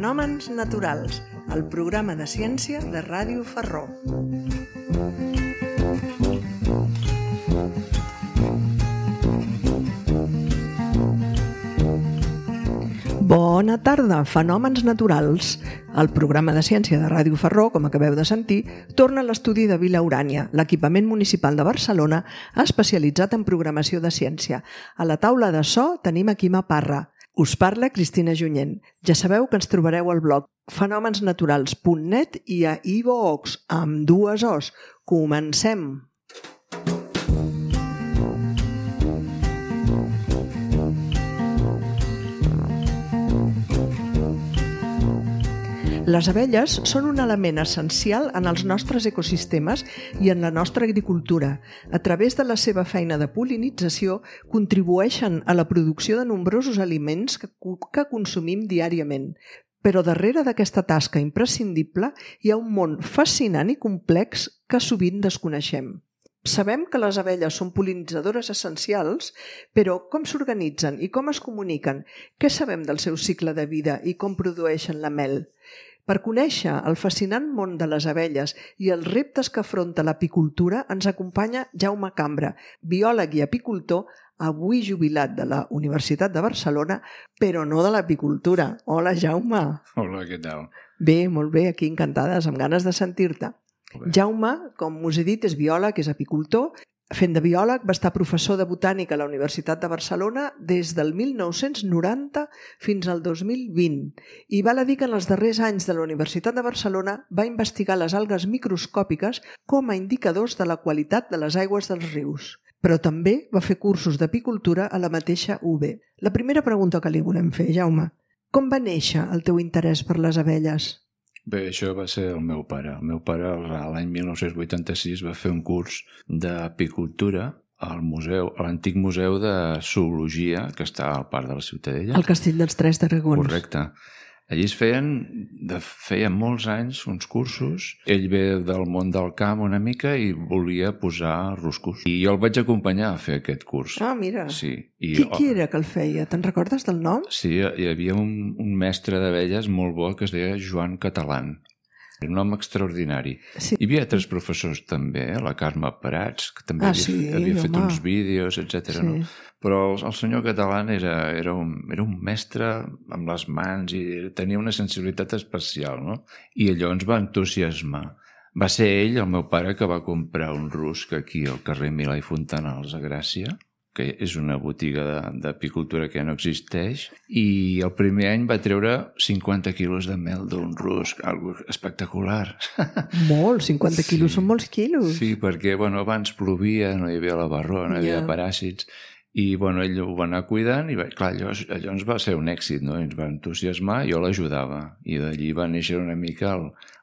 Fenòmens naturals, el programa de ciència de Ràdio Ferró. Bona tarda, Fenòmens naturals. El programa de ciència de Ràdio Ferró, com acabeu de sentir, torna a l'estudi de Vila Urània, l'equipament municipal de Barcelona especialitzat en programació de ciència. A la taula de so tenim a Quima Parra. Us parla Cristina Junyent. Ja sabeu que ens trobareu al blog fenomensnaturals.net i a iVoox, amb 2 Os. Comencem! Les abelles són un element essencial en els nostres ecosistemes i en la nostra agricultura. A través de la seva feina de pol·linització, contribueixen a la producció de nombrosos aliments que consumim diàriament. Però darrere d'aquesta tasca imprescindible hi ha un món fascinant i complex que sovint desconeixem. Sabem que les abelles són pol·linitzadores essencials, però com s'organitzen i com es comuniquen? Què sabem del seu cicle de vida i com produeixen la mel? Per conèixer el fascinant món de les abelles i els reptes que afronta l'apicultura ens acompanya Jaume Cambra, biòleg i apicultor, avui jubilat de la Universitat de Barcelona, però no de l'apicultura. Hola, Jaume. Hola, què tal? Bé, molt bé, aquí encantades, amb ganes de sentir-te. Jaume, com us he dit, és biòleg, és apicultor. Fent de biòleg, va estar professor de botànica a la Universitat de Barcelona des del 1990 fins al 2020 i val a dir que en els darrers anys de la Universitat de Barcelona va investigar les algues microscòpiques com a indicadors de la qualitat de les aigües dels rius. Però també va fer cursos d'apicultura a la mateixa UB. La primera pregunta que li volem fer, Jaume, com va néixer el teu interès per les abelles? Bé, això va ser el meu pare. El meu pare l'any 1986 va fer un curs d'apicultura al museu, a l'antic museu de zoologia que està al Parc de la Ciutadella. Al Castell dels Tres Dragons. Correcte. Allí es feien molts anys uns cursos. Ell ve del món del camp una mica i volia posar ruscos. I jo el vaig acompanyar a fer aquest curs. Ah, mira. Sí. Qui era que el feia? Te'n recordes del nom? Sí, hi havia un mestre d'abelles molt bo que es deia Joan Catalán. Un home extraordinari. Sí. Hi havia 3 professors també, la Carme Prats, que també havia fet uns vídeos, etc. Sí. No? Però el senyor Catalán era un mestre amb les mans i tenia una sensibilitat especial, no? I allò ens va entusiasmar. Va ser ell, el meu pare, que va comprar un rusc aquí al carrer Milà i Fontanals a Gràcia, que és una botiga d'apicultura que ja no existeix, i el primer any va treure 50 quilos de mel d'un rusc, algo espectacular. Molt, 50 quilos són molts quilos. Sí, perquè abans plovia, no hi havia la barró, no hi havia paràsits, i ell ho va anar cuidant, i clar, allò ens va ser un èxit, no? Ens va entusiasmar, jo l'ajudava, i d'allí va néixer una mica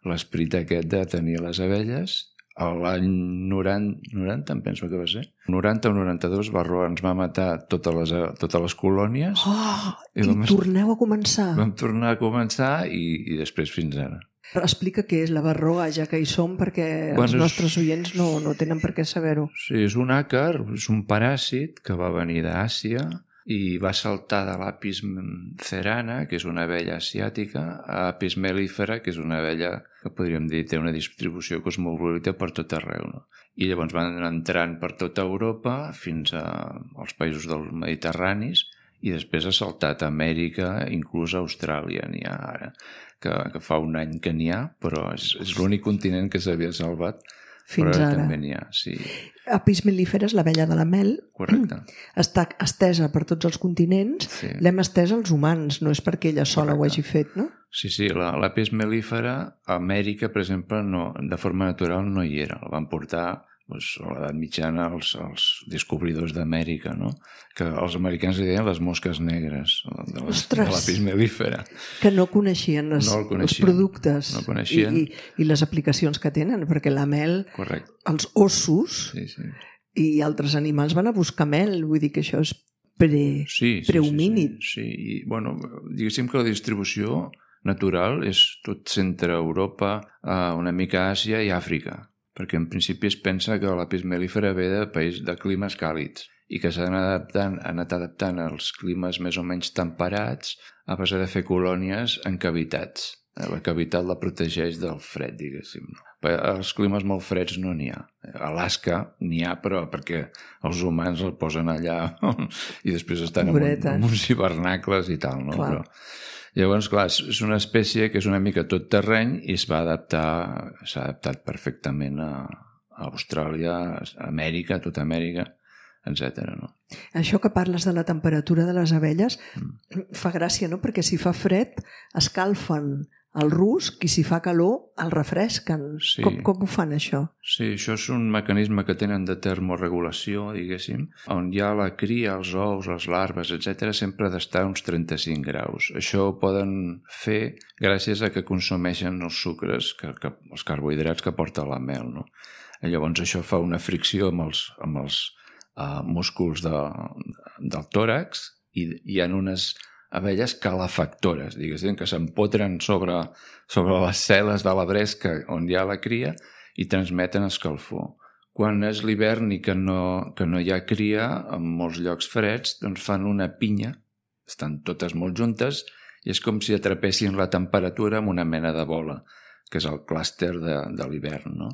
l'esperit aquest de tenir les abelles. A l'any 90, em penso que va ser. 90 o 92, Barroa ens va matar totes les colònies. Oh, i torneu a començar. Vam tornar a començar i després fins ara. Explica què és la barroa, ja que hi som, perquè els nostres oients no tenen per què saber-ho. Sí, és un àcar, és un paràsit que va venir d'Àsia i va saltar de l'Apis cerana, que és una abella asiàtica, a Apis mellifera, que és una abella que podríem dir té una distribució cosmopolita per tot arreu. No? I llavors van entrant per tota Europa fins als països dels Mediterranis i després ha saltat a Amèrica, inclús a Austràlia n'hi ha ara, que fa un any que n'hi ha, però és l'únic continent que s'havia salvat. Fins però ara. També n'hi ha, sí. Apis mellifera és l'abella de la mel. Correcte. Està estesa per tots els continents. Sí. L'hem estesa als humans, no és perquè ella sola ho hagi fet, no? Sí, l'Apis mellifera a Amèrica, per exemple, de forma natural no hi era. La van portar a l'edat mitjana els descobridors d'Amèrica, no? Que els americans li deien les mosques negres de l'Apis mellifera. Que no coneixien els productes no coneixien. I les aplicacions que tenen, perquè la mel, correcte, els ossos i altres animals van a buscar mel, vull dir que això és prehomínid. Sí. I, diguéssim que la distribució natural és tot centre Europa, una mica Àsia i Àfrica, perquè en principi es pensa que l'Apis mellifera ve de climes càlids i que s'han anat adaptant als climes més o menys temperats a base de fer colònies en cavitats. La cavitat la protegeix del fred, diguéssim. Els climes molt freds no n'hi ha. A Alaska n'hi ha, però perquè els humans el posen allà i després estan en uns hivernacles i tal, no? Però, llavors, clar, és una espècie que és una mica tot terreny i s'ha adaptat perfectament a Austràlia, a Amèrica, a tota Amèrica, etc. No? Això que parles de la temperatura de les abelles fa gràcia, no? Perquè si fa fred escalfen el rusc i si fa calor el refresquen. Sí. Com ho fan, això? Sí, això és un mecanisme que tenen de termoregulació, diguéssim, on hi ha la cria, els ous, les larves, etc., sempre ha d'estar a uns 35 graus. Això ho poden fer gràcies a que consumeixen els sucres, els carbohidrats que porta la mel, no? Llavors això fa una fricció amb els músculs del tòrax i hi ha unes abelles calefactores, diguéssim, que s'empotren sobre les cel·les de la bresca on hi ha la cria i transmeten escalfor. Quan és l'hivern i que no hi ha cria, en molts llocs freds, doncs fan una pinya, estan totes molt juntes i és com si atrapessin la temperatura amb una mena de bola, que és el clúster de l'hivern, no?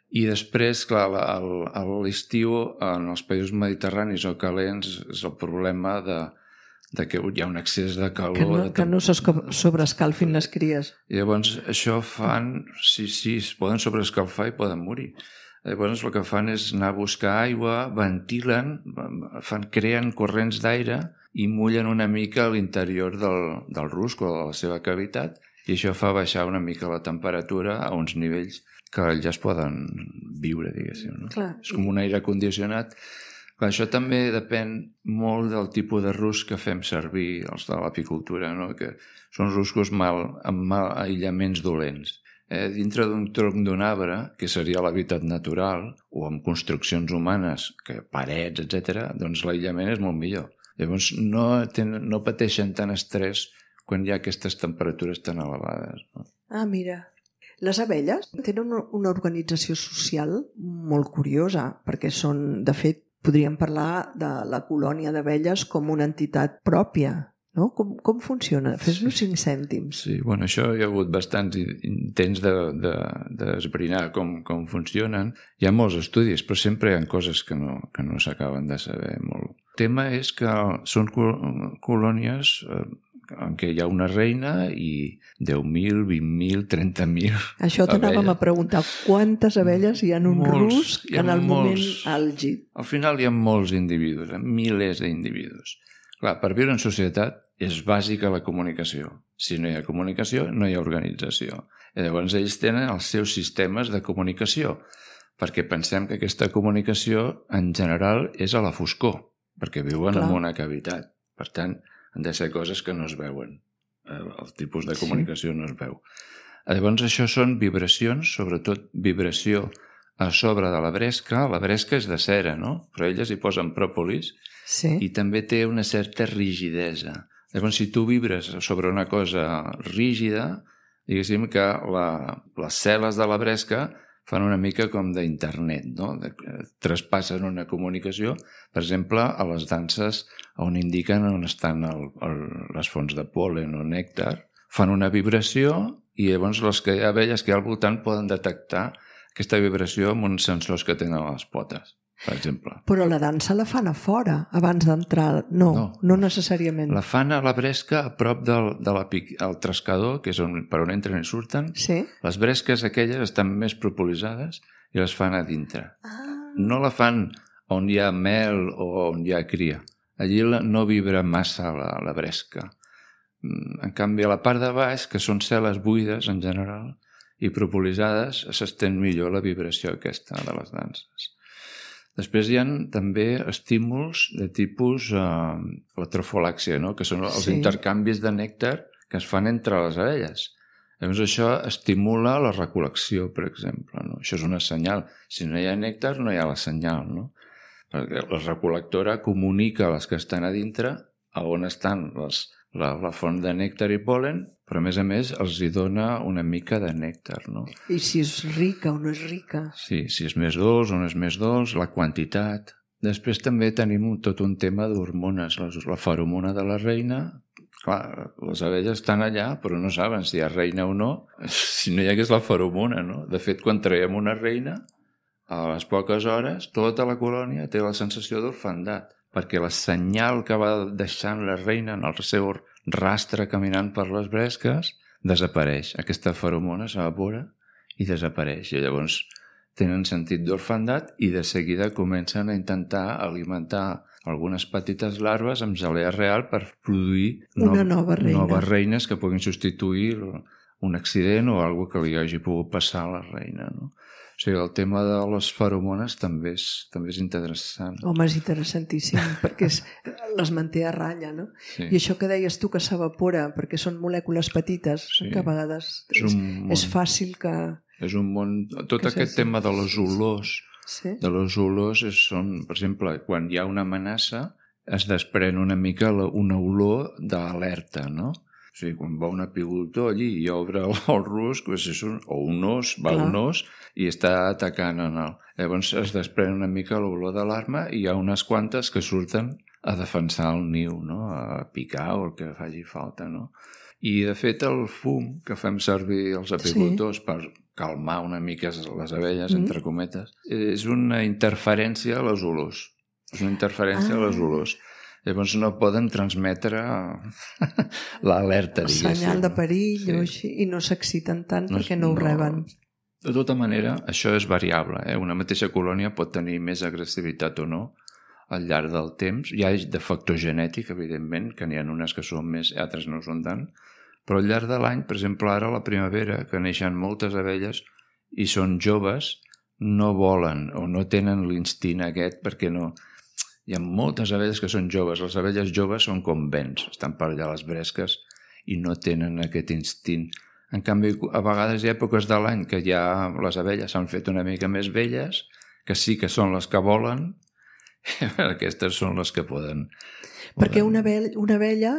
I després, clar, a l'estiu, en els països mediterranis o calents, és el problema de que hi ha un excés de calor. Que no sobreescalfin les cries. I llavors això fan, sí, es poden sobreescalfar i poden morir. Llavors el que fan és anar a buscar aigua, ventilen, creen corrents d'aire i mullen una mica a l'interior del rusc o de la seva cavitat i això fa baixar una mica la temperatura a uns nivells que ja es poden viure, diguéssim. No? Clar. És com un aire condicionat. Clar, això també depèn molt del tipus de rusc que fem servir, els de l'apicultura, no? Que són ruscos amb aïllaments dolents. Dintre d'un tronc d'un arbre, que seria l'hàbitat natural, o amb construccions humanes, parets, etc., doncs l'aïllament és molt millor. Llavors no pateixen tant estrès quan hi ha aquestes temperatures tan elevades. No? Ah, mira. Les abelles tenen una organització social molt curiosa, perquè són, de fet, podríem parlar de la colònia d'abelles com una entitat pròpia, no? Com funciona? Fes-nos 5 cèntims. Sí, bueno, això hi ha hagut bastants intents d'esbrinar com funcionen. Hi ha molts estudis, però sempre hi ha coses que no s'acaben de saber molt. El tema és que són colònies en què hi ha una reina i 10.000, 20.000, 30.000 Això t'anàvem a preguntar, quantes abelles hi ha en un rusc en el moment àlgid? Al final hi ha molts individus, milers d'individus. Clar, per viure en societat és bàsica la comunicació. Si no hi ha comunicació, no hi ha organització. I llavors ells tenen els seus sistemes de comunicació, perquè pensem que aquesta comunicació en general és a la foscor, perquè viuen en una cavitat. Per tant, han de ser coses que no es veuen. El tipus de comunicació no es veu. Llavors això són vibracions, sobretot vibració a sobre de la bresca. La bresca és de cera, no? Però elles hi posen pròpolis i també té una certa rigidesa. Llavors si tu vibres sobre una cosa rígida, diguéssim que les cel·les de la bresca fan una mica com d'internet, no? Traspassen una comunicació, per exemple, a les danses on indiquen on estan les fonts de pol·len o nèctar, fan una vibració i llavors les abelles que hi ha al voltant poden detectar aquesta vibració amb uns sensors que tenen a les potes, per exemple. Però la dansa la fan a fora, abans d'entrar. No necessàriament. La fan a la bresca, a prop del trescador, que és per on entren i surten. Sí. Les bresques aquelles estan més propolitzades i les fan a dintre. No la fan on hi ha mel o on hi ha cria. Allí no vibra massa la bresca. En canvi, a la part de baix, que són cel·les buides en general i propolitzades, s'estén millor la vibració aquesta de les danses. Després hi ha també estímuls de tipus la trofolàxia, no? Que són els intercanvis de nèctar que es fan entre les abelles. Llavors això estimula la recol·lecció, per exemple. No? Això és una senyal. Si no hi ha nèctar, no hi ha la senyal. No? Perquè la recol·lectora comunica a les que estan a dintre a on estan la font de nèctar i pol·len, però a més els hi dona una mica de nèctar. No? I si és rica o no és rica. Sí, si és més dolç o no és més dolç, la quantitat. Després també tenim tot un tema d'hormones. La feromona de la reina, clar, les abelles estan allà, però no saben si hi ha reina o no, si no hi hagués la feromona, no? De fet, quan traiem una reina, a les poques hores, tota la colònia té la sensació d'orfandat, perquè la senyal que va deixant la reina en el seu rastre caminant per les bresques desapareix. Aquesta feromona s'evapora i desapareix. I llavors tenen sentit d'orfandat i de seguida comencen a intentar alimentar algunes petites larves amb gelea real per produir una nova reina. Noves reines que puguin substituir un accident o alguna que li hagi pogut passar a la reina, no? O sigui, el tema de les feromones també és interessant. Home, és interessantíssim, perquè les manté a ratlla, no? Sí. I això que deies tu que s'evapora, perquè són molècules petites, Sí. que a vegades és fàcil que... És un món... Tot aquest tema de les olors, Sí. de les olors són, per exemple, quan hi ha una amenaça, es desprèn una mica una olor d'alerta, no? O sigui, quan va un apicultor allí i obre el rusc, o un os, un os, i està atacant en el... Llavors es desprèn una mica l'olor d'alarma i hi ha unes quantes que surten a defensar el niu, no? A picar o el que faci falta, no? I, de fet, el fum que fem servir els apicultors per calmar una mica les abelles, entre cometes, és una interferència a les olors. És una interferència a les olors. Llavors no poden transmetre l'alerta, diguéssim. El senyal de perill o així, i no s'exciten tant perquè no ho reben. De tota manera, això és variable. Una mateixa colònia pot tenir més agressivitat o no al llarg del temps. Hi ha de factor genètic, evidentment, que n'hi ha unes que són més i altres no són tant, però al llarg de l'any, per exemple, ara a la primavera, que neixen moltes abelles i són joves, no volen o no tenen l'instint aquest perquè no... Hi ha moltes abelles que són joves. Les abelles joves són com vents, estan per allà a les bresques i no tenen aquest instint. En canvi, a vegades hi ha èpoques de l'any que ja les abelles s'han fet una mica més velles, que sí que són les que volen, aquestes són les que poden. Perquè una abella,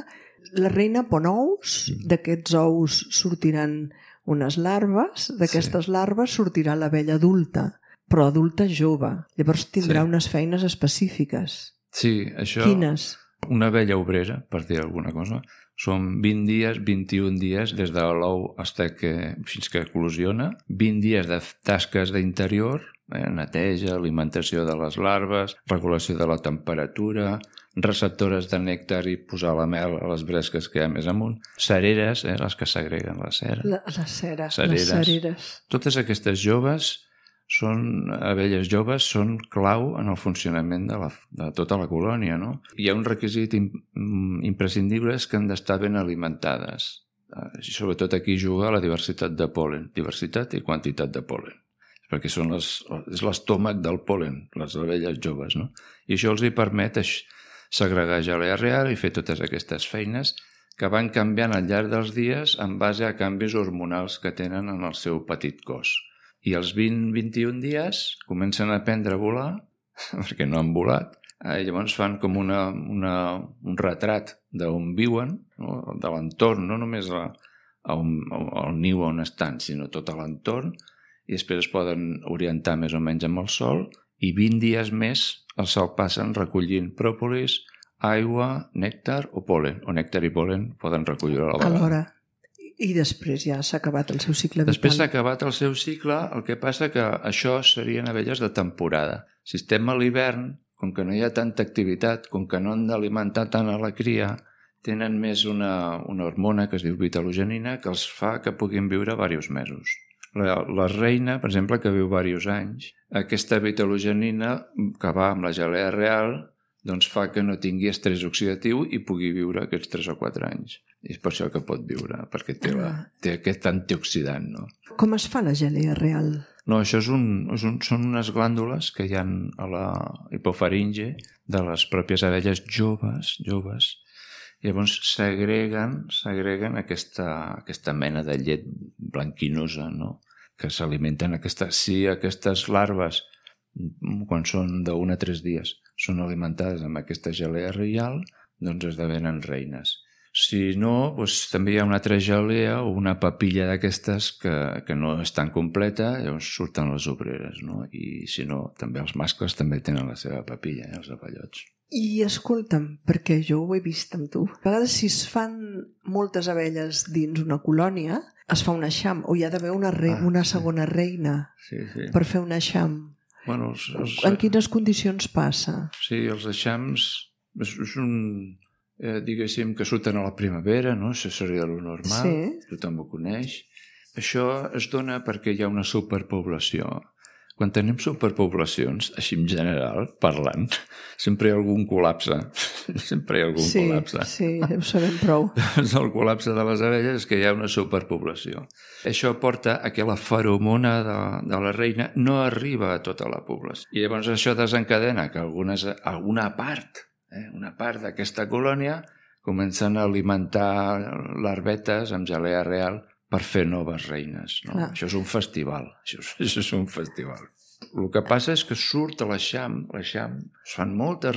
la reina pon ous, d'aquests ous sortiran unes larves, d'aquestes larves sortirà l'abella adulta, però adulta jove. Llavors tindrà unes feines específiques. Sí, això... Quines? Una abella obrera, per dir alguna cosa, són 20 dies, 21 dies des de l'ou fins que eclosiona, 20 dies de tasques d'interior, neteja, alimentació de les larves, regulació de la temperatura, receptores de nèctar i posar la mel a les bresques que hi ha més amunt, cereres, les que segreguen la cera. Les cereres. Totes aquestes joves abelles joves són clau en el funcionament de tota la colònia, no? Hi ha un requisit imprescindible que han d'estar ben alimentades. I sobretot aquí juga la diversitat de pol·len, diversitat i quantitat de pol·len, perquè és l'estómac del pol·len, les abelles joves, no? I això els hi permet segregar gelea real i fer totes aquestes feines que van canviant al llarg dels dies en base a canvis hormonals que tenen en el seu petit cos. I als 20-21 dies comencen a aprendre a volar, perquè no han volat, i llavors fan com un retrat d'on viuen, no? De l'entorn, no només al niu on estan, sinó tot l'entorn, i després es poden orientar més o menys amb el sol, i 20 dies més el sol passen recollint pròpolis, aigua, nèctar o pol·len, o nèctar i pol·len poden recollir a la vegada. Alhora. I després ja s'ha acabat el seu cicle vital. Després s'ha acabat el seu cicle, el que passa que això serien abelles de temporada. Si estem a l'hivern, com que no hi ha tanta activitat, com que no han d'alimentar tant a la cria, tenen més una hormona que es diu vitalogenina que els fa que puguin viure diversos mesos. La reina, per exemple, que viu diversos anys, aquesta vitalogenina que va amb la gelea real doncs fa que no tingui estrès oxidatiu i pugui viure aquests 3 o 4 anys. I és per això que pot viure, perquè té aquest antioxidant, no? Com es fa la gelea real? No, això són unes glàndules que hi ha a la hipofaringe de les pròpies abelles joves. Llavors segreguen aquesta mena de llet blanquinosa, no? Que s'alimenten aquestes larves, quan són d'1 a 3 dies, són alimentades amb aquesta gelea reial, doncs esdevenen reines. Si no, doncs, també hi ha una altra gelea o una papilla d'aquestes que no és tan completa, llavors surten les obreres, no? I si no, també els mascles també tenen la seva papilla, els abellots. I escolta'm, perquè jo ho he vist amb tu, a vegades si es fan moltes abelles dins una colònia, es fa un eixam, o hi ha d'haver una segona reina per fer un eixam. Bueno, en quines condicions passa? Sí, els eixams és un... diguéssim que surten a la primavera, no? Això seria el normal, tothom ho coneix. Això es dona perquè hi ha una superpoblació. Quan tenim superpoblacions, així en general, parlant, sempre hi ha algun col·lapse. Sempre hi ha algun col·lapse. Sí, ho sabem prou. El col·lapse de les abelles és que hi ha una superpoblació. Això porta a que la feromona de la reina no arriba a tota la població. I llavors això desencadena que alguna part d'aquesta colònia comencen a alimentar larvetes amb gelea real per fer noves reines. No? Això és un festival. Això és un festival. El que passa és que surt a l'eixam, es fan moltes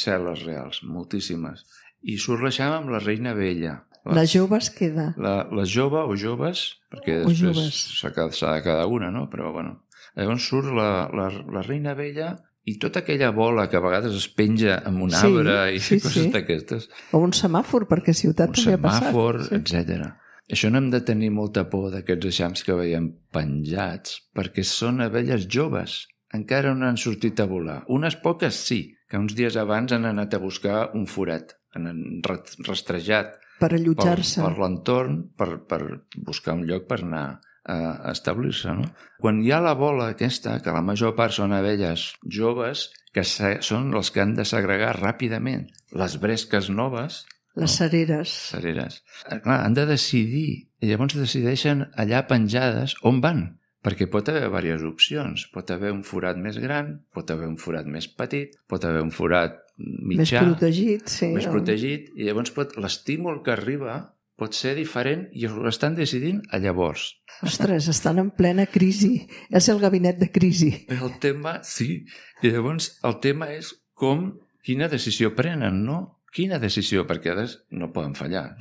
cel·les reals, moltíssimes, i surt l'eixam amb la reina vella. La jove es queda. La jove o joves, perquè després s'ha de cada una, no? Però bueno. Llavors surt la reina vella i tota aquella bola que a vegades es penja amb un arbre i coses d'aquestes. O un semàfor, perquè a Ciutat també ha passat. Un semàfor, etc. Això no hem de tenir molta por d'aquests eixams que veiem penjats, perquè són abelles joves. Encara no han sortit a volar. Unes poques sí, que uns dies abans han anat a buscar un forat, han rastrejat per allotjar-se per l'entorn, per buscar un lloc per anar a establir-se, no? Quan hi ha la bola aquesta, que la major part són abelles joves, que són les que han de segregar ràpidament les bresques noves, les cereres. Clar, han de decidir, i llavors decideixen allà penjades on van, perquè pot haver diverses opcions. Pot haver un forat més gran, pot haver un forat més petit, pot haver un forat mitjà, més protegit, i llavors l'estímul que arriba pot ser diferent i ho estan decidint a llavors. Ostres, estan en plena crisi. És el gabinet de crisi. El tema, sí. I llavors el tema és quina decisió prenen, no? Quina decisió? Perquè no poden fallar.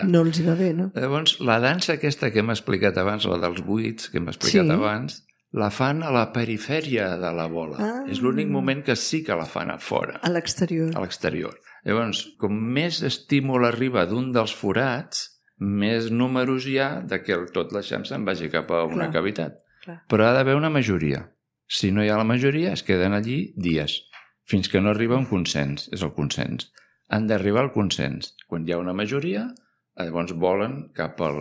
No els hi va bé, no? Llavors, la dansa aquesta que hem explicat abans, la dels buits, que hem explicat abans, la fan a la perifèria de la bola. És l'únic moment que sí que la fan a fora. A l'exterior. A l'exterior. Llavors, com més estímul arriba d'un dels forats, més números hi ha que tot l'eixam se'n vagi cap a una cavitat. Però ha d'haver una majoria. Si no hi ha la majoria, es queden allí dies, fins que no arriba un consens. És el consens. Han d'arribar al consens. Quan hi ha una majoria, llavors volen cap a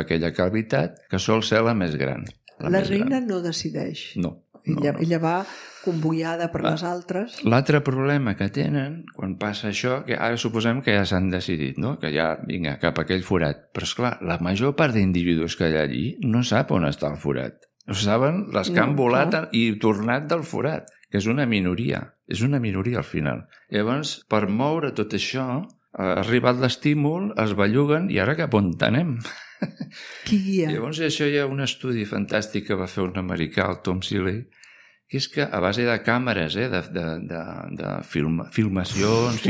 aquella cavitat que sol ser la més gran. La reina no decideix. No. Ella va convoiada per les altres. L'altre problema que tenen quan passa això, que ara suposem que ja s'han decidit, no? Que ja, vinga, cap a aquell forat. Però, esclar, la major part d'individus que hi ha allí no sap on està el forat. Ho saben les que han volat i tornat del forat, que és una minoria. És una minoria al final. Llavors, per moure tot això, ha arribat l'estímul, es belluguen i ara cap on anem? Qui guia? Llavors això hi ha un estudi fantàstic que va fer un americà, el Tom Seeley, que és que a base de càmeres, de filmacions,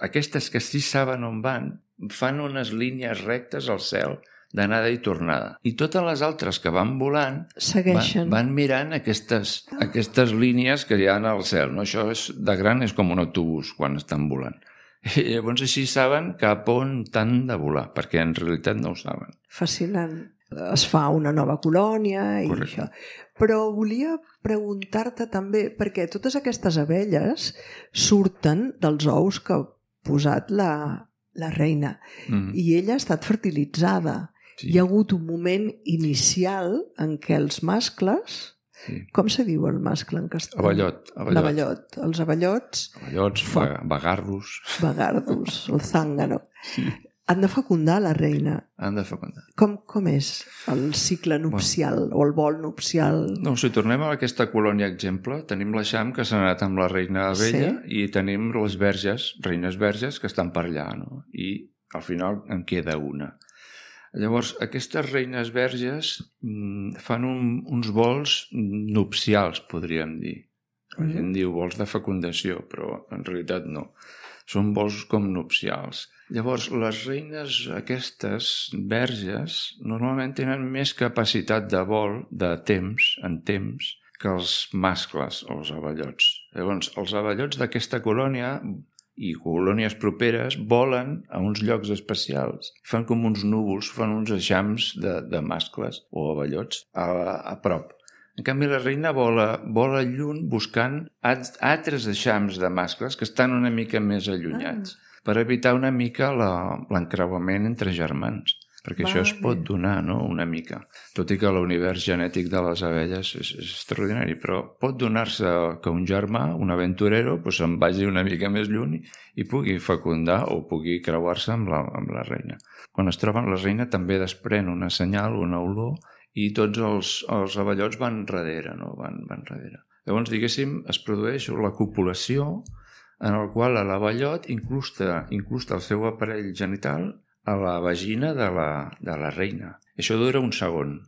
aquestes que sí saben on van, fan unes línies rectes al cel d'anada i tornada. I totes les altres que van volant van mirant aquestes línies que hi ha al cel. No? Això de gran és com un autobús quan estan volant. I llavors així saben cap on han de volar, perquè en realitat no ho saben. Fascinant. Es fa una nova colònia i això. Però volia preguntar-te també, perquè totes aquestes abelles surten dels ous que ha posat la reina i ella ha estat fertilitzada. Sí. Hi ha hagut un moment inicial en què els mascles... Sí. Com se diu el mascle en castellà? Abellot. L'abellot. Els abellots... Abellots, vagardos. Vagardos, el zángano. Sí. Han de fecundar la reina. Han de fecundar. Com és el cicle nupcial o el vol nupcial? No, si tornem a aquesta colònia exemple, tenim l'eixam que s'ha anat amb la reina abella i tenim les verges, reines verges, que estan per allà, no? I al final en queda una. Llavors, aquestes reines verges fan uns vols nupcials, podríem dir. La gent diu vols de fecundació, però en realitat no. són vols com nupcials. Llavors, les reines aquestes verges normalment tenen més capacitat de vol, en temps, que els mascles o els avellots. Llavors, els avellots d'aquesta colònia i colònies properes volen a uns llocs especials. Fan com uns núvols, fan uns eixams de mascles o avellots a prop. En canvi, la reina vola lluny buscant altres eixams de mascles que estan una mica més allunyats per evitar una mica l'encreuament entre germans. Perquè això es pot donar, no?, una mica. Tot i que l'univers genètic de les abelles és extraordinari, però pot donar-se que un germà, un aventurero, se'n vagi una mica més lluny i pugui fecundar o pugui creuar-se amb la reina. Quan es troben, la reina també desprèn una senyal, una olor, i tots els avellots van darrere, no? Van darrere. Llavors, diguéssim, es produeix la copulació en el qual l'avellot incrusta el seu aparell genital a la vagina de la reina. Això dura un segon,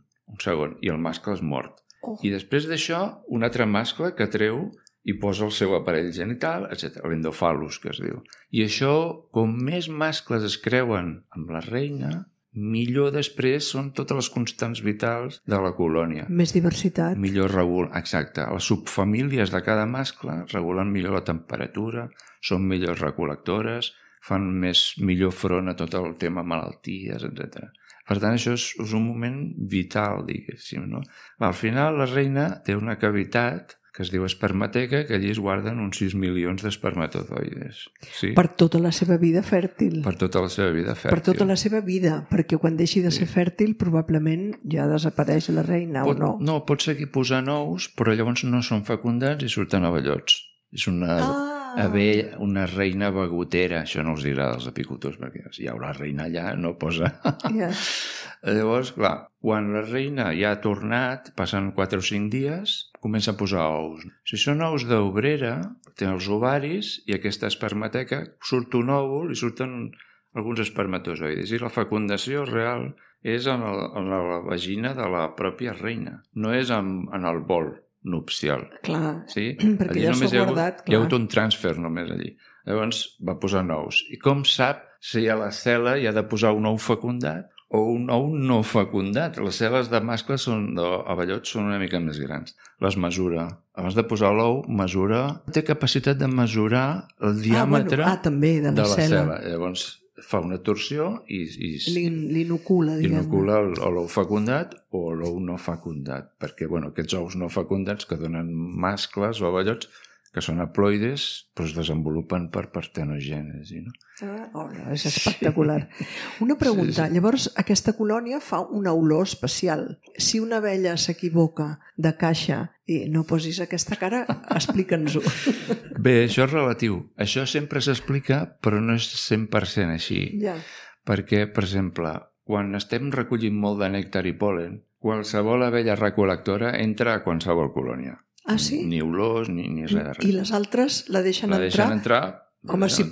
i el mascle és mort. I després d'això, un altre mascle que treu i posa el seu aparell genital, etc. L'endofalus, que es diu. I això, com més mascles es creuen amb la reina, millor després són totes les constants vitals de la colònia. Més diversitat. Millor regula, exacte. Les subfamílies de cada mascle regulen millor la temperatura, són millors recol·lectores, fan millor front a tot el tema malalties, etc. Per tant, això és un moment vital, diguéssim, no? Al final, la reina té una cavitat que es diu espermateca, que allí es guarden uns 6 milions d'espermatozoides. Sí? Per tota la seva vida fèrtil. Per tota la seva vida fèrtil. Per tota la seva vida, perquè quan deixi de ser fèrtil probablement ja desapareix la reina, o no? No, pot seguir posant ous, però llavors no són fecundats i surten avellots. És una reina begotera, això no els dirà dels apicultors, perquè si hi haurà reina allà no posa... Llavors, clar, quan la reina ja ha tornat, passen 4 o 5 dies, comença a posar ous. Si són ous d'obrera, té els ovaris i aquesta espermateca, surt un òvul i surten alguns espermatozoides. I la fecundació real és en la vagina de la pròpia reina, no és en el vol nupcial. Clar, sí? perquè ja s'ha guardat. Hi ha hagut un transfer només allí. Llavors va posar ous. I com sap si a la cel·la hi ha de posar un ou fecundat o un ou no fecundat? Les cel·les de mascles d'avellots són una mica més grans. Les mesura. Abans de posar l'ou, té capacitat de mesurar el diàmetre també de la cel·la. Llavors fa una torsió i l'inocula, diguem-ne. Inocula l'ou fecundat o l'ou no fecundat, perquè aquests ous no fecundats que donen mascles o avellots que són haploides, es desenvolupen per partenogènesi, no? És espectacular. Una pregunta, llavors aquesta colònia fa una olor especial. Si una abella s'equivoca de caixa i no posis aquesta cara, explica'ns-ho. Bé, això és relatiu. Això sempre s'explica, però no és 100% així. Perquè, per exemple, quan estem recollint molt de nèctar i pol·len, qualsevol abella recol·lectora entra a qualsevol colònia. Ah, sí? Ni olors, ni res de res. I les altres la deixen entrar? La deixen entrar. Home, si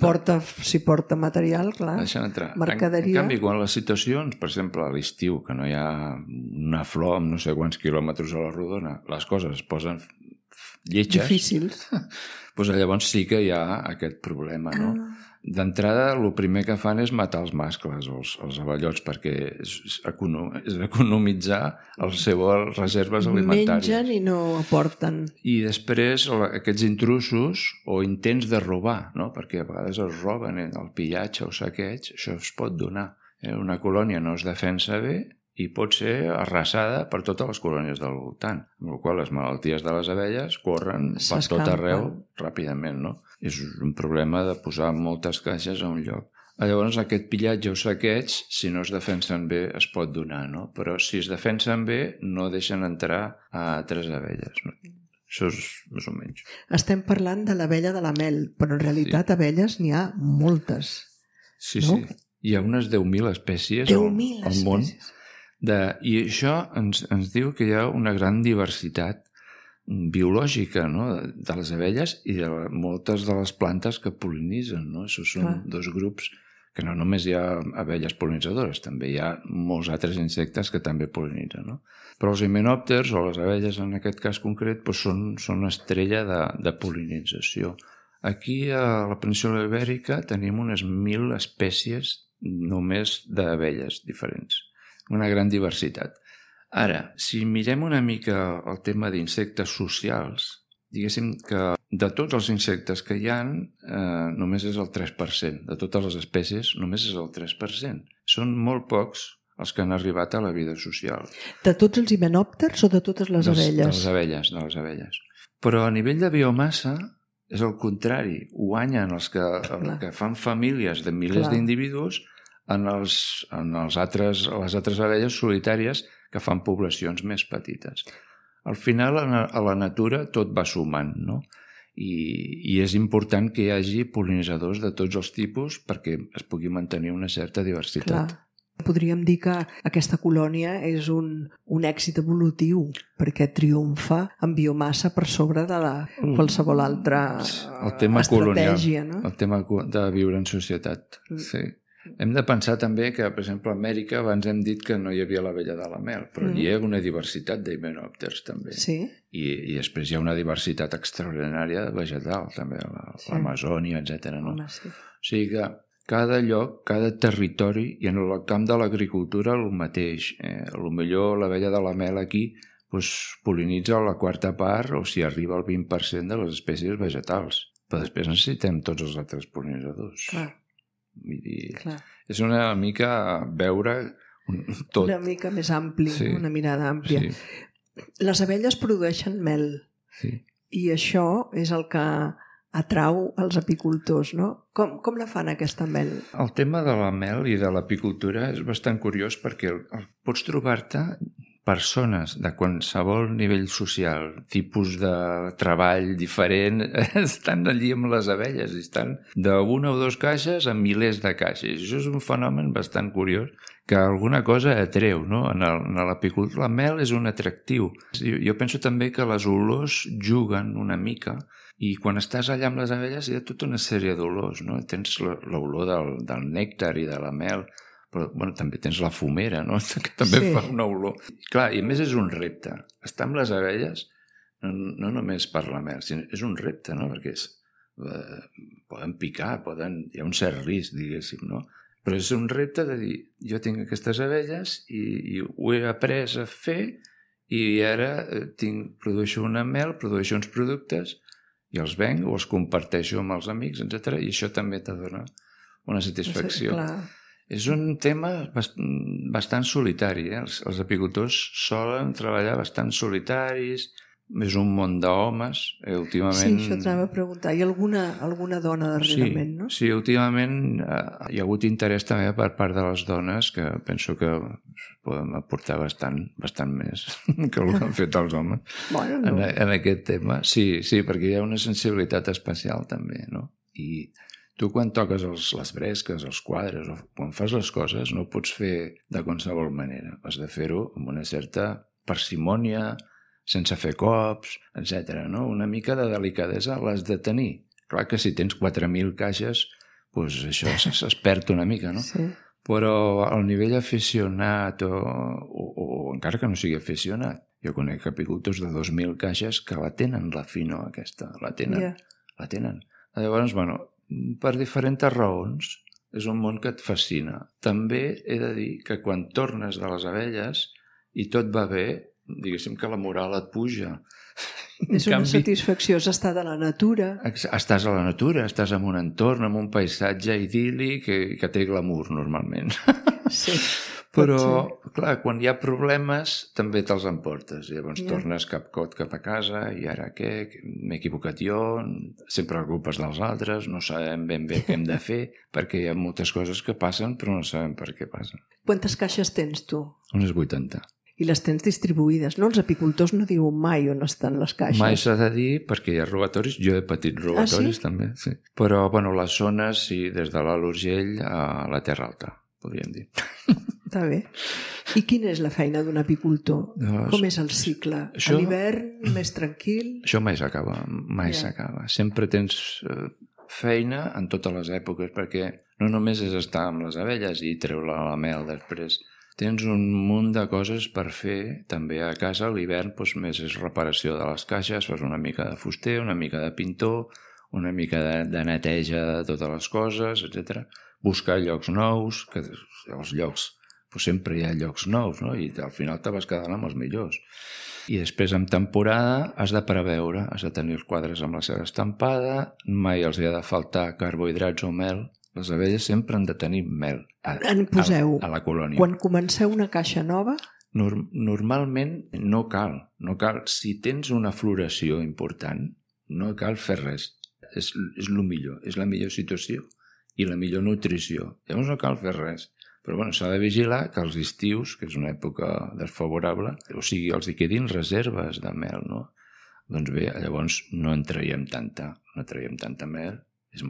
porta material, clar. La deixen entrar. Mercaderia. En canvi, quan les situacions, per exemple, a l'estiu, que no hi ha una flor amb no sé quants quilòmetres a la rodona, les coses es posen lletges. Difícils. Doncs llavors sí que hi ha aquest problema, no? D'entrada, el primer que fan és matar els mascles, els avellots, perquè és economitzar les seves reserves alimentàries. Mengen i no aporten. I després aquests intrusos o intents de robar, no? Perquè a vegades es roben el pillatge o saqueig, això es pot donar. Una colònia no es defensa bé i pot ser arrasada per totes les colònies del voltant, amb la qual cosa les malalties de les abelles corren per tot arreu ràpidament, no? És un problema de posar moltes caixes a un lloc. Llavors, aquest pillatge o saqueig, si no es defensen bé, es pot donar, no? Però si es defensen bé, no deixen entrar a altres abelles, no? Això és més o menys. Estem parlant de l'abella de la mel, però en realitat abelles n'hi ha moltes. Sí, sí. Hi ha unes 10.000 espècies al món. I això ens diu que hi ha una gran diversitat biològica, no? De les abelles i de moltes de les plantes que pol·linitzen, no? Això són dos grups que no només hi ha abelles pol·linitzadores, també hi ha molts altres insectes que també pol·linitzen, no? Però els himenòpters, o les abelles en aquest cas concret, són estrella de pol·linització Aquí a la península Ibèrica tenim unes 1.000 espècies només d'abelles diferents. Una gran diversitat. Ara, si mirem una mica el tema d'insectes socials, diguéssim que de tots els insectes que hi ha, només és el 3%. De totes les espècies, només és el 3%. Són molt pocs els que han arribat a la vida social. De tots els himenòpters o de totes les abelles? De les abelles. Però a nivell de biomassa és el contrari. Guanyen els que fan famílies de milers d'individus en les altres abelles solitàries que fan poblacions més petites. Al final, a la natura tot va sumant, no? I és important que hi hagi pol·linitzadors de tots els tipus perquè es pugui mantenir una certa diversitat. Clar. Podríem dir que aquesta colònia és un èxit evolutiu perquè triomfa en biomassa per sobre de qualsevol altra estratègia. No? El tema de viure en societat. Sí. Hem de pensar també que, per exemple, a Amèrica abans hem dit que no hi havia l'abella de la mel, però hi ha una diversitat d'himenòpters també. Sí. I després hi ha una diversitat extraordinària vegetal també, l'Amazònia, etc. No? Home, sí. O sigui que cada lloc, cada territori, i en el camp de l'agricultura el mateix. Potser l'abella de la mel aquí pol·linitza la quarta part o si arriba al 20% de les espècies vegetals. Però després necessitem tots els altres pol·linitzadors. Clar. Vull dir, és una mica veure tot. Una mica més ampli, sí. Una mirada àmplia. Sí. Les abelles produeixen mel i això és el que atrau els apicultors, no? Com la fan aquesta mel? El tema de la mel i de l'apicultura és bastant curiós perquè pots trobar-te persones de qualsevol nivell social, tipus de treball diferent, estan allí amb les abelles i estan d'una o dues caixes a milers de caixes. Això és un fenomen bastant curiós que alguna cosa atreu, no? En l'apicultura la mel és un atractiu. Jo penso també que les olors juguen una mica i quan estàs allà amb les abelles hi ha tota una sèrie d'olors, no? Tens l'olor del nèctar i de la mel, però també tens la fumera, no? Que també fa una olor. Clar, i a més és un repte. Estar amb les abelles no només per la mel, sinó és un repte, no? Perquè poden picar, hi ha un cert risc, diguéssim, no? Però és un repte de dir, jo tinc aquestes abelles i ho he après a fer i ara produeixo una mel, produeixo uns productes i els venc o els comparteixo amb els amics, etc. I això també te dona una satisfacció. Clar. És un tema bastant solitari. Els apicultors solen treballar bastant solitaris, és un món d'homes. Últimament... Sí, això t'anava a preguntar. Hi ha alguna dona darrerament, no? Sí, últimament hi ha hagut interès també per part de les dones que penso que podem aportar bastant més que el que han fet els homes en aquest tema. Sí, perquè hi ha una sensibilitat especial també, no? I tu quan toques les bresques, els quadres, o quan fas les coses, no ho pots fer de qualsevol manera. Has de fer-ho amb una certa parsimònia, sense fer cops, etc. No? Una mica de delicadesa l'has de tenir. Clar que si tens 4.000 caixes, doncs això es perd una mica, no? Sí. Però al nivell aficionat o encara que no sigui aficionat, jo conec apicultors de 2.000 caixes que la tenen, la fino aquesta, la tenen. Llavors, per diferents raons, és un món que et fascina. També he de dir que quan tornes de les abelles i tot va bé, diguéssim que la moral et puja. És una satisfacció, és estar a la natura. Estàs a la natura, estàs en un entorn, en un paisatge idíl·lic que té glamour normalment. Sí. Però, clar, quan hi ha problemes també te'ls emportes. Llavors tornes cap a casa i ara què? M'he equivocat jo, sempre culpes dels altres, no sabem ben bé què hem de fer perquè hi ha moltes coses que passen però no sabem per què passen. Quantes caixes tens tu? Unes 80. I les tens distribuïdes, no? Els apicultors no diuen mai on estan les caixes. Mai s'ha de dir perquè hi ha robatoris. Jo he patit robatoris també, sí. Però, les zones, sí, des de l'Alt Urgell a la Terra Alta, podríem dir. Està bé. I quina és la feina d'un apicultor? Com és el cicle? A l'hivern, més tranquil? Això mai s'acaba. Sempre tens feina en totes les èpoques, perquè no només és estar amb les abelles i treure la mel després. Tens un munt de coses per fer també a casa. A l'hivern més és reparació de les caixes, fas una mica de fuster, una mica de pintor, una mica de neteja de totes les coses, etc. Buscar llocs nous, que els llocs, sempre hi ha llocs nous, no? I al final te vas quedant amb els millors. I després, en temporada, has de preveure, has de tenir els quadres amb la seva estampada, mai els hi ha de faltar carbohidrats o mel. Les abelles sempre han de tenir mel a la colònia. Quan comenceu una caixa nova... Normalment no cal. Si tens una floració important, no cal fer res. És el millor, és la millor situació i la millor nutrició. Llavors no cal fer res. Però s'ha de vigilar que els estius, que és una època desfavorable, o sigui, els hi quedin reserves de mel, no? Doncs bé, llavors no en traiem tanta mel. És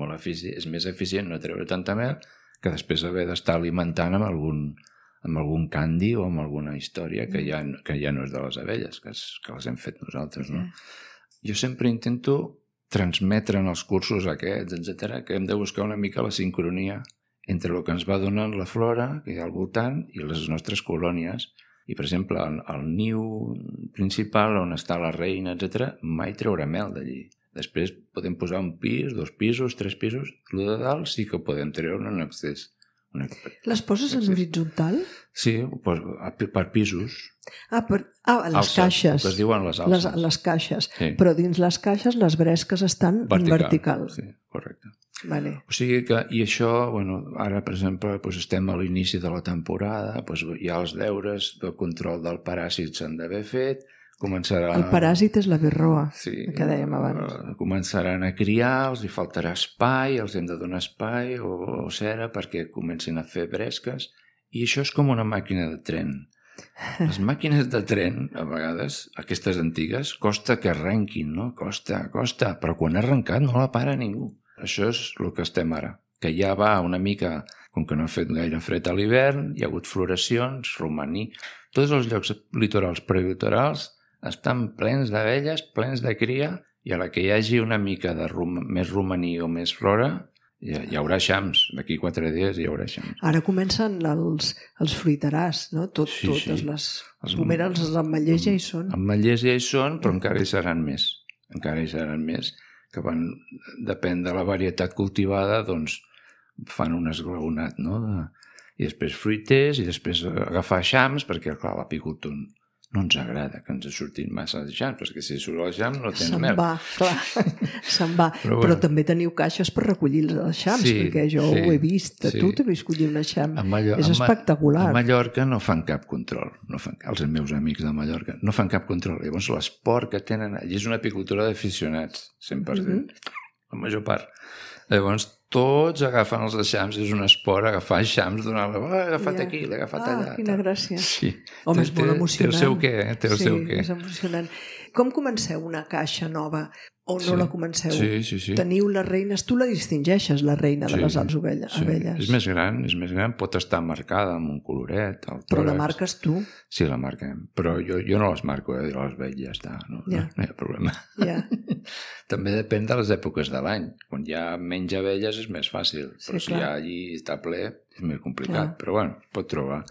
més eficient no treure tanta mel que després haver d'estar alimentant amb algun candi o amb alguna història que ja no és de les abelles, que les hem fet nosaltres, no? Jo sempre intento transmetre en els cursos aquests, etc., que hem de buscar una mica la sincronia entre el que ens va donant la flora que hi ha al voltant i les nostres colònies. I, per exemple, el niu principal, on està la reina, etc., mai treure mel d'allí. Després podem posar un pis, 2 pisos, 3 pisos. El de dalt sí que podem treure en excés. Les poses en horitzontal? Sí, per pisos. Les caixes. Que es diuen les alces. Les caixes. Sí. Però dins les caixes les bresques estan en vertical. Sí, correcte. Vale. O sigui que, i això, ara, per exemple, estem a l'inici de la temporada, hi ha els deures del control del paràsit s'han d'haver fet, el paràsit és la birroa, que dèiem abans. Començaran a criar, els hi faltarà espai, els hem de donar espai o cera perquè comencin a fer bresques, i això és com una màquina de tren. Les màquines de tren, a vegades, aquestes antigues, costa que arrenquin, no? Costa, però quan ha arrencat no la para ningú. Això és el que estem ara, que ja va una mica, com que no ha fet gaire fred a l'hivern, hi ha hagut floracions, romaní, tots els llocs litorals prelitorals estan plens d'abelles, plens de cria, i a la que hi hagi una mica de més romaní o més flora, hi haurà eixams. D'aquí 4 dies hi haurà eixams. Ara comencen els fruiterars, no? Totes les pomeres, els ametllers ja hi són. Ametllers ja hi són, però encara hi seran més. Que depèn de la varietat cultivada, doncs fan un esglaonat, no? I després fruiters, i després agafar eixams, perquè, clar, l'apicultor no ens agrada que ens surtin massa eixams, perquè si surt l'eixam no tens mel. Se'n va. Però també teniu caixes per recollir els eixams, perquè jo ho he vist. Tu t'he vist collir un eixam. És espectacular. A Mallorca no fan cap control. Els meus amics de Mallorca no fan cap control. Llavors l'esport que tenen allí és una apicultura d'aficionats, 100%. La major part. Llavors tots agafen els eixams, és un esport agafar eixams, donar-la, l'he agafat aquí, l'he agafat allà. Quina gràcia. Sí. Home, és molt emocionant. Té el seu què, Sí, és emocionant. Com comenceu una caixa nova o no la comenceu? Sí. Teniu les reines, tu la distingeixes, la reina de les abelles. És més gran, pot estar marcada amb un coloret. Però la marques tu? Sí, la marquem, però jo no les marco, les veig i ja està, no hi ha problema. També depèn de les èpoques de l'any. Quan hi ha menys abelles és més fàcil, però si allí està ple és més complicat, però es pot trobar.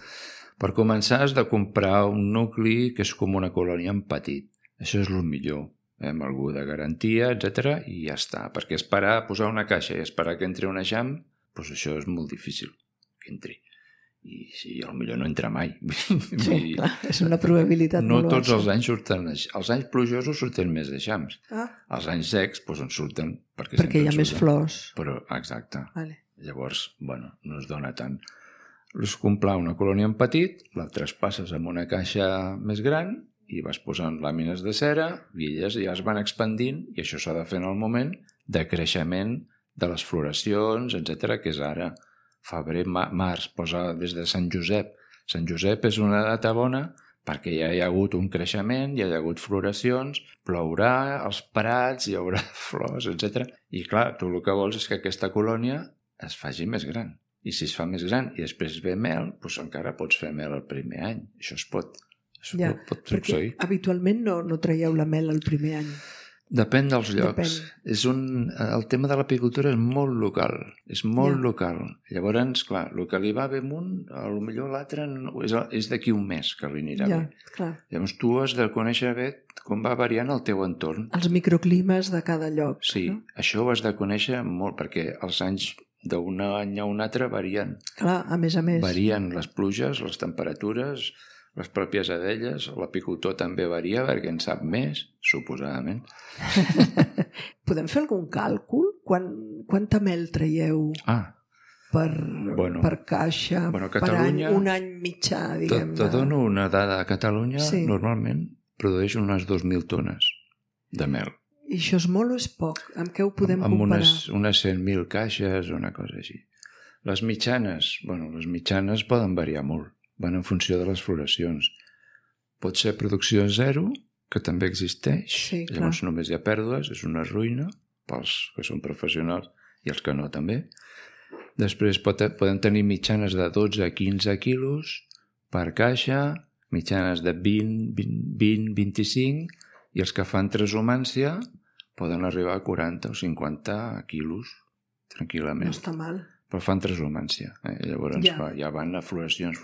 Per començar has de comprar un nucli que és com una colònia en petit. Això és el millor, amb algú de garantia, etc. I ja està, perquè posar una caixa i esperar que entri un eixam, doncs això és molt difícil que entri. I potser no entra mai. Sí, clar, és una probabilitat molt baixa. No tots els anys surten, els anys plujosos surten més eixams. Els anys secs en surten perquè hi ha més flors. Però, exacte. Llavors, no es dona tant. És comprar una colònia en petit, la traspasses amb una caixa més gran i vas posant làmines de cera i elles ja es van expandint, i això s'ha de fer en el moment de creixement de les floracions, etc., que és ara febrer, març, posa des de Sant Josep. Sant Josep és una data bona perquè ja hi ha hagut un creixement, ja hi ha hagut floracions, plourà, als prats hi haurà flors, etc. I clar, tu el que vols és que aquesta colònia es faci més gran. I si es fa més gran i després ve mel, doncs encara pots fer mel el primer any. Això es pot succeir. Perquè habitualment no traieu la mel el primer any. Depèn dels llocs. El tema de l'apicultura és molt local. És molt local. Llavors, clar, el que li va bé a un, potser l'altre és d'aquí un mes que li anirà bé. Clar. Llavors tu has de conèixer bé com va variant el teu entorn. Els microclimes de cada lloc. Sí, això ho has de conèixer molt, perquè els anys d'un any a un altre varien. Clar, a més. Varien les pluges, les temperatures, les pròpies abelles, l'apicultor també varia perquè en sap més, suposadament. Podem fer algun càlcul? Quanta mel traieu per caixa, Catalunya, per any, un any mitjà, diguem-ne? Te dono una dada. A Catalunya normalment produeix unes 2.000 tones de mel. I això és molt o és poc? Amb què ho podem comparar? Amb unes 100.000 caixes o una cosa així. Les mitjanes poden variar molt. Van en funció de les floracions. Pot ser producció zero, que també existeix, llavors només hi ha pèrdues, és una ruïna pels que són professionals i els que no també. Després poden tenir mitjanes de 12 a 15 quilos per caixa, mitjanes de 20, 25, i els que fan transhumància poden arribar a 40 o 50 quilos tranquil·lament. No està mal. Però fan transhumància. Llavors ja van a floracions.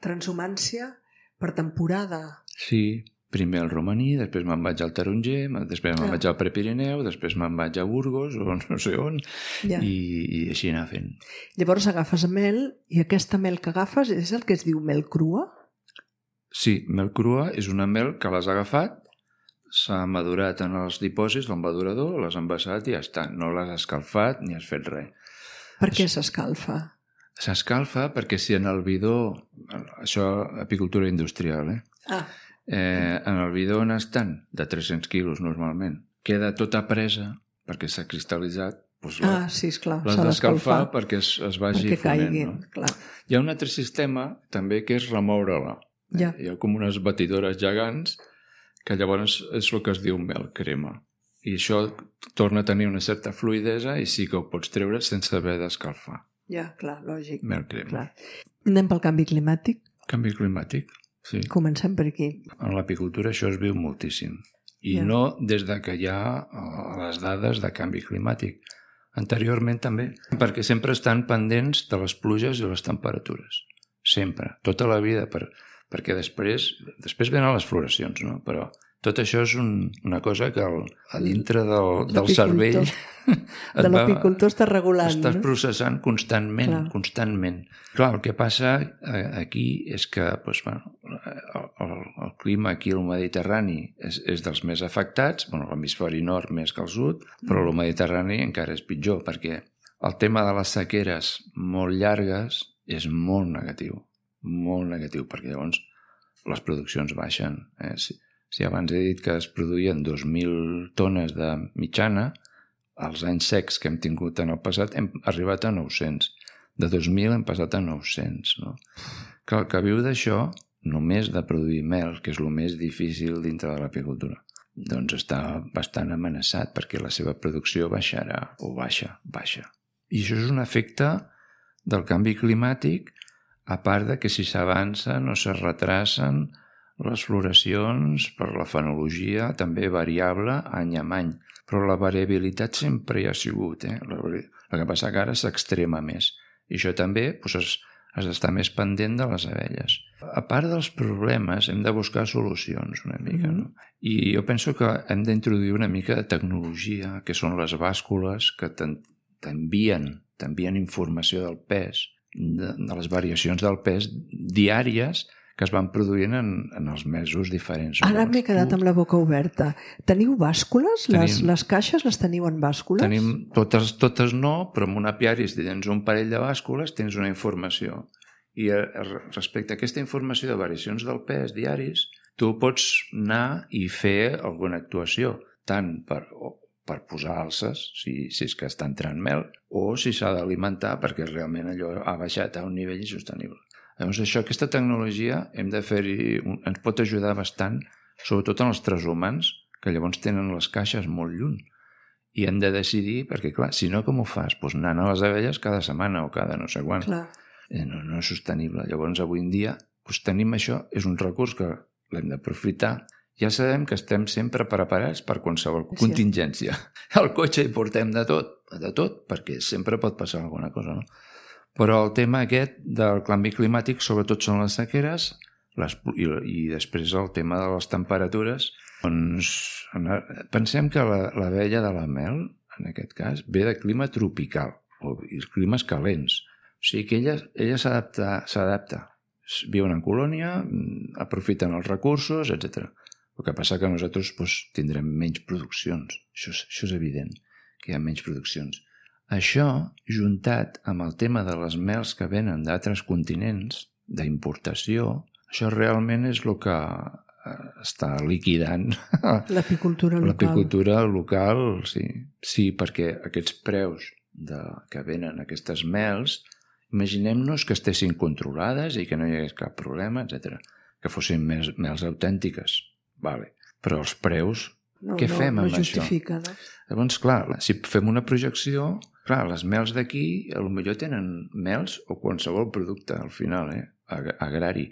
Transhumància per temporada. Sí, primer al romaní, després me'n vaig al taronger, després me'n vaig al Prepirineu, després me'n vaig a Burgos o no sé on, i així anar fent. Llavors agafes mel, i aquesta mel que agafes és el que es diu mel crua? Sí, mel crua és una mel que l'has agafat, s'ha madurat en els dipòsits del madurador, l'has envasat i ja està. No l'has escalfat ni has fet res. Per què s'escalfa? S'escalfa perquè si en el bidó, això apicultura industrial, en el bidó on estan, de 300 quilos normalment, queda tota presa perquè s'ha cristal·litzat, l'has d'escalfar perquè es vagi fonent. Hi ha un altre sistema també que és remoure-la. Hi ha com unes batidores gegants que llavors és el que es diu mel crema. I això torna a tenir una certa fluïdesa i sí que ho pots treure sense haver d'escalfar. Clar, lògic. Mel crema. Anem pel canvi climàtic? Canvi climàtic, sí. Comencem per aquí. En l'apicultura això es viu moltíssim. I no des de que hi ha les dades de canvi climàtic. Anteriorment també, perquè sempre estan pendents de les pluges i les temperatures. Sempre, tota la vida, perquè després venen les floracions, no? Però tot això és una cosa que a dintre del cervell de l'apicultor està regulant. Estàs processant constantment. Clar, el que passa aquí és que el clima aquí al Mediterrani és dels més afectats, l'hemisferi nord més que el sud, però el Mediterrani encara és pitjor, perquè el tema de les sequeres molt llargues és molt negatiu, perquè llavors les produccions baixen. Si abans he dit que es produïen 2.000 tones de mitjana, els anys secs que hem tingut en el passat hem arribat a 900. De 2.000 hem passat a 900. No? Que el que viu d'això, només de produir mel, que és el més difícil dintre de l'apicultura, doncs està bastant amenaçat perquè la seva producció baixarà o baixa. I això és un efecte del canvi climàtic, a part de que si s'avancen o se retracen les floracions per la fenologia també variable any a any, però la variabilitat sempre hi ha sigut. El que passa que ara s'extrema més. I això també has d'estar més pendent de les abelles. A part dels problemes, hem de buscar solucions una mica. No? I jo penso que hem d'introduir una mica de tecnologia, que són les bàscules que t'envien informació del pes, de les variacions del pes diàries que es van produint en els mesos diferents. Ara m'he quedat amb la boca oberta. Teniu bàscules? Les caixes les teniu en bàscules? Tenim, totes no, però en un apiari, si tens un parell de bàscules, tens una informació. I respecte a aquesta informació de variacions del pes diaris, tu pots anar i fer alguna actuació, tant per posar alces, si és que està entrant mel, o si s'ha d'alimentar perquè realment allò ha baixat a un nivell insostenible. Llavors, aquesta tecnologia ens pot ajudar bastant, sobretot en els transhumants, que llavors tenen les caixes molt lluny. I hem de decidir, perquè clar, si no, com ho fas? Doncs anant a les abelles cada setmana o cada no sé quan. No és sostenible. Llavors, avui en dia, tenim això, és un recurs que l'hem d'aprofitar ja sabem que estem sempre preparats per qualsevol contingència. Al cotxe hi portem de tot, perquè sempre pot passar alguna cosa, no? Però el tema aquest del canvi climàtic sobretot són les sequeres i després el tema de les temperatures. Doncs pensem que l'abella de la mel, en aquest cas, ve de clima tropical, o climes calents. O sigui que ella s'adapta. Viuen en colònia, aprofiten els recursos, etc. El que passa que nosaltres tindrem menys produccions. Això és evident, que hi ha menys produccions. Això, juntat amb el tema de les mels que venen d'altres continents, d'importació, això realment és el que està liquidant l'apicultura local. L'apicultura local, sí. Sí, perquè aquests preus que venen aquestes mels, imaginem-nos que estessin controlades i que no hi hagués cap problema, etc. Que fossin mels autèntiques. Vale. Però els preus, què fem amb això? No? Llavors, clar, si fem una projecció, clar, les mels d'aquí potser tenen mels o qualsevol producte al final, agrari.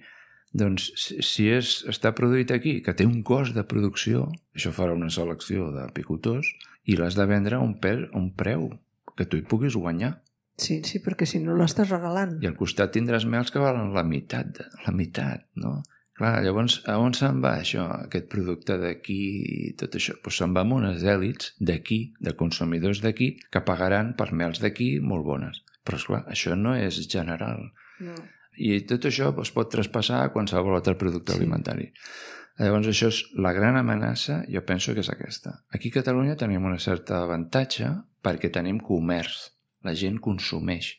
Doncs si està produït aquí, que té un cost de producció, això farà una selecció d'apicultors i l'has de vendre a un preu que tu hi puguis guanyar. Sí, perquè si no l'estàs regalant. I al costat tindràs mels que valen la meitat, no? Clar, llavors, a on se'n va això, aquest producte d'aquí i tot això? Doncs se'n va amb unes èlits d'aquí, de consumidors d'aquí, que pagaran per mels d'aquí molt bones. Però, esclar, això no és general. No. I tot això es pot traspassar a qualsevol altre producte alimentari. Llavors, això és la gran amenaça, jo penso que és aquesta. Aquí a Catalunya tenim una certa avantatge perquè tenim comerç. La gent consumeix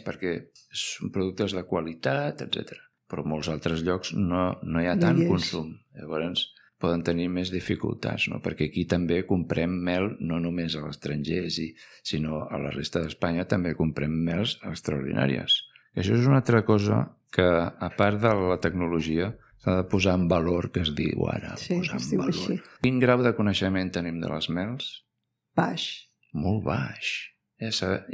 perquè són productes de qualitat, etc. Però en molts altres llocs no hi ha tant consum. Llavors poden tenir més dificultats, no? Perquè aquí també comprem mel no només a l'estranger, sinó a la resta d'Espanya també comprem mels extraordinàries. Això és una altra cosa que, a part de la tecnologia, s'ha de posar en valor, que es diu ara. Sí, posar es diu en valor. així. Quin grau de coneixement tenim de les mels? Baix. Molt baix.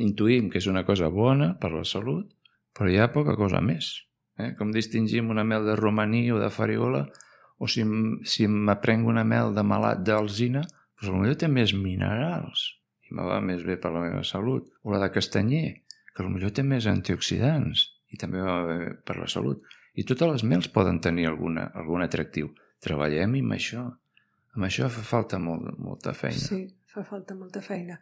Intuïm que és una cosa bona per la salut, però hi ha poca cosa més. Com distingim una mel de romaní o de farigola, o si m'aprenc una mel de malat d'alzina, doncs potser té més minerals i me va més bé per la meva salut. O la de castanyer, que potser té més antioxidants i també va bé per la salut. I totes les mels poden tenir algun atractiu. Treballem amb això. Amb això fa falta molta feina. Sí, fa falta molta feina.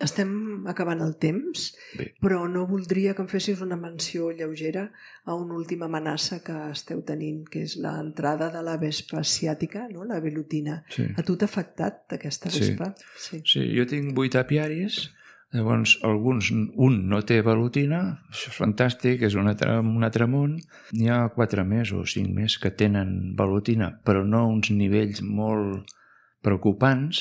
Estem acabant el temps, Bé. però no voldria que em fessis una menció lleugera a una última amenaça que esteu tenint, que és l'entrada de la vespa asiàtica, no? La velutina. Sí. A tu t'ha afectat aquesta vespa? Sí, jo tinc 8 apiaris, llavors un no té velutina, això és fantàstic, és un altre món. N'hi ha 4 més o 5 més que tenen velutina, però no uns nivells molt preocupants.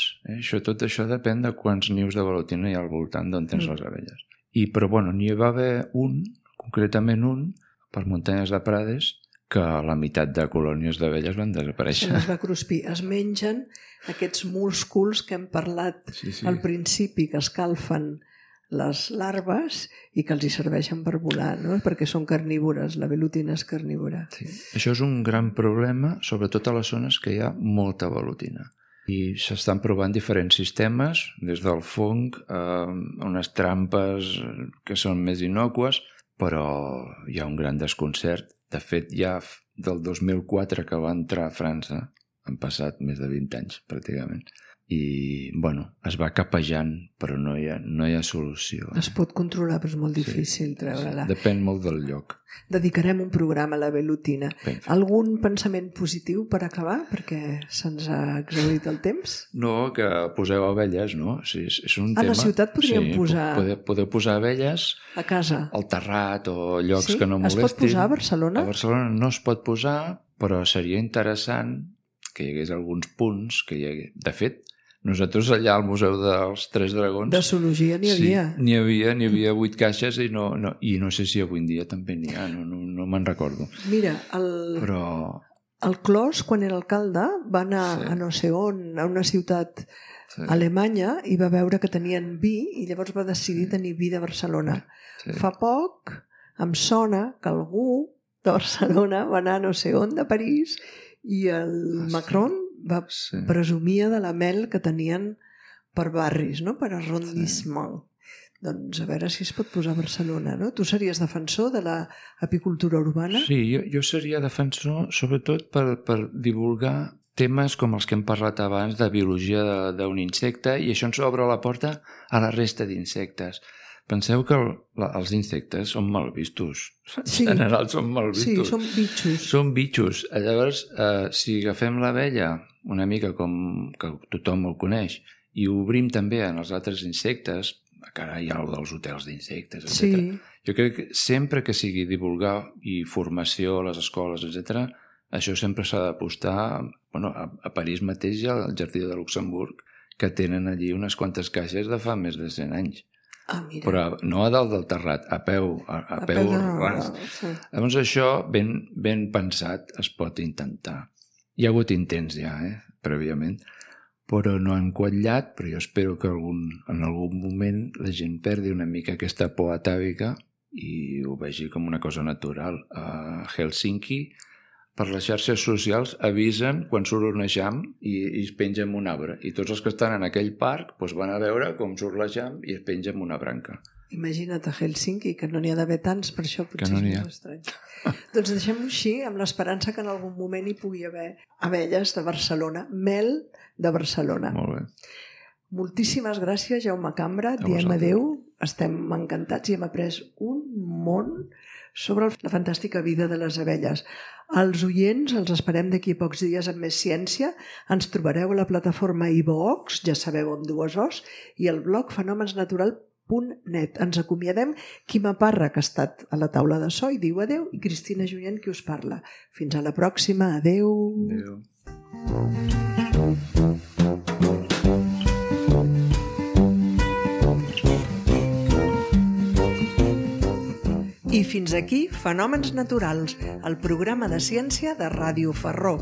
Tot això depèn de quants nius de velutina hi ha al voltant d'on tens les abelles. Però n'hi va haver concretament un, per muntanyes de Prades, que la meitat de colònies d'abelles van desaparèixer. Se les va cruspir. Es mengen aquests músculs que hem parlat al principi, que escalfen les larves i que els hi serveixen per volar, no? Perquè són carnívores, la velutina és carnívora. Sí. Això és un gran problema, sobretot a les zones que hi ha molta velutina. I s'estan provant diferents sistemes, des del fong a unes trampes que són més innòcues, però hi ha un gran desconcert. De fet, ja del 2004 que va entrar a França, han passat més de 20 anys, pràcticament. I, es va capejant, però no hi ha solució. Es pot controlar, però és molt difícil treure-la. Depèn molt del lloc. Dedicarem un programa a la velutina. Algun pensament positiu per acabar? Perquè se'ns ha exhaurit el temps. No, que poseu abelles, no? És un tema... A la ciutat podríem posar... Podeu posar abelles... A casa. Al terrat o llocs que no molestin. Es pot posar a Barcelona? A Barcelona no es pot posar, però seria interessant que hi hagués alguns punts que hi hagués... De fet, nosaltres allà al Museu dels Tres Dragons... De zoologia n'hi havia. Sí, n'hi havia 8 caixes i no sé si avui en dia també n'hi ha, no me'n recordo. Mira, el Clos, quan era alcalde, va anar a no sé on, a una ciutat alemanya, i va veure que tenien vi i llavors va decidir tenir vi de Barcelona. Fa poc em sona que algú de Barcelona va anar a no sé on, de París, I el Macron presumia de la mel que tenien per barris, no? Per arrondissement. Doncs a veure si es pot posar a Barcelona, no? Tu series defensor de l'apicultura urbana? Sí, jo seria defensor sobretot per divulgar temes com els que hem parlat abans de biologia d'un insecte, i això ens obre la porta a la resta d'insectes. Penseu que els insectes són mal vistos. Sí. En general són mal vistos. Sí, són bitxos. Són bitxos. Llavors, si agafem l'abella una mica com que tothom el coneix i ho obrim també en els altres insectes, que ara hi ha el dels hotels d'insectes, etc. Sí. Jo crec que sempre que sigui divulgar i formació a les escoles, etc., això sempre s'ha d'apostar. Bueno, a París mateix hi ha el Jardí de Luxemburg, que tenen allí unes quantes caixes de fa més de 100 anys. Ah, mira. Però no a dalt del terrat, a peu ras. Sí. Llavors això, ben pensat, es pot intentar. Hi ha hagut intents ja, prèviament, però no han quatllat, però jo espero que en algun moment la gent perdi una mica aquesta por atàvica i ho vegi com una cosa natural. A Helsinki, per les xarxes socials, avisen quan surt un eixam i es penja en un arbre. I tots els que estan en aquell parc van a veure com surt l'eixam i es penja en una branca. Imagina't a Helsinki, que no n'hi ha d'haver tants, per això potser no és més estrany. Doncs deixem-ho així, amb l'esperança que en algun moment hi pugui haver abelles de Barcelona, mel de Barcelona. Molt bé. Moltíssimes gràcies, Jaume Cambra. Diem adeu. Estem encantats i hem après un món sobre la fantàstica vida de les abelles. Els oients els esperem d'aquí a pocs dies amb més ciència. Ens trobareu a la plataforma iVox, ja sabeu, amb 2 O's, i el blog fenomensnatural.net. Ens acomiadem. Quima Parra, que ha estat a la taula de so, i diu adeu, i Cristina Junyent, qui us parla. Fins a la pròxima. Adeu. Adeu. I fins aquí Fenòmens Naturals, el programa de ciència de Ràdio Ferró.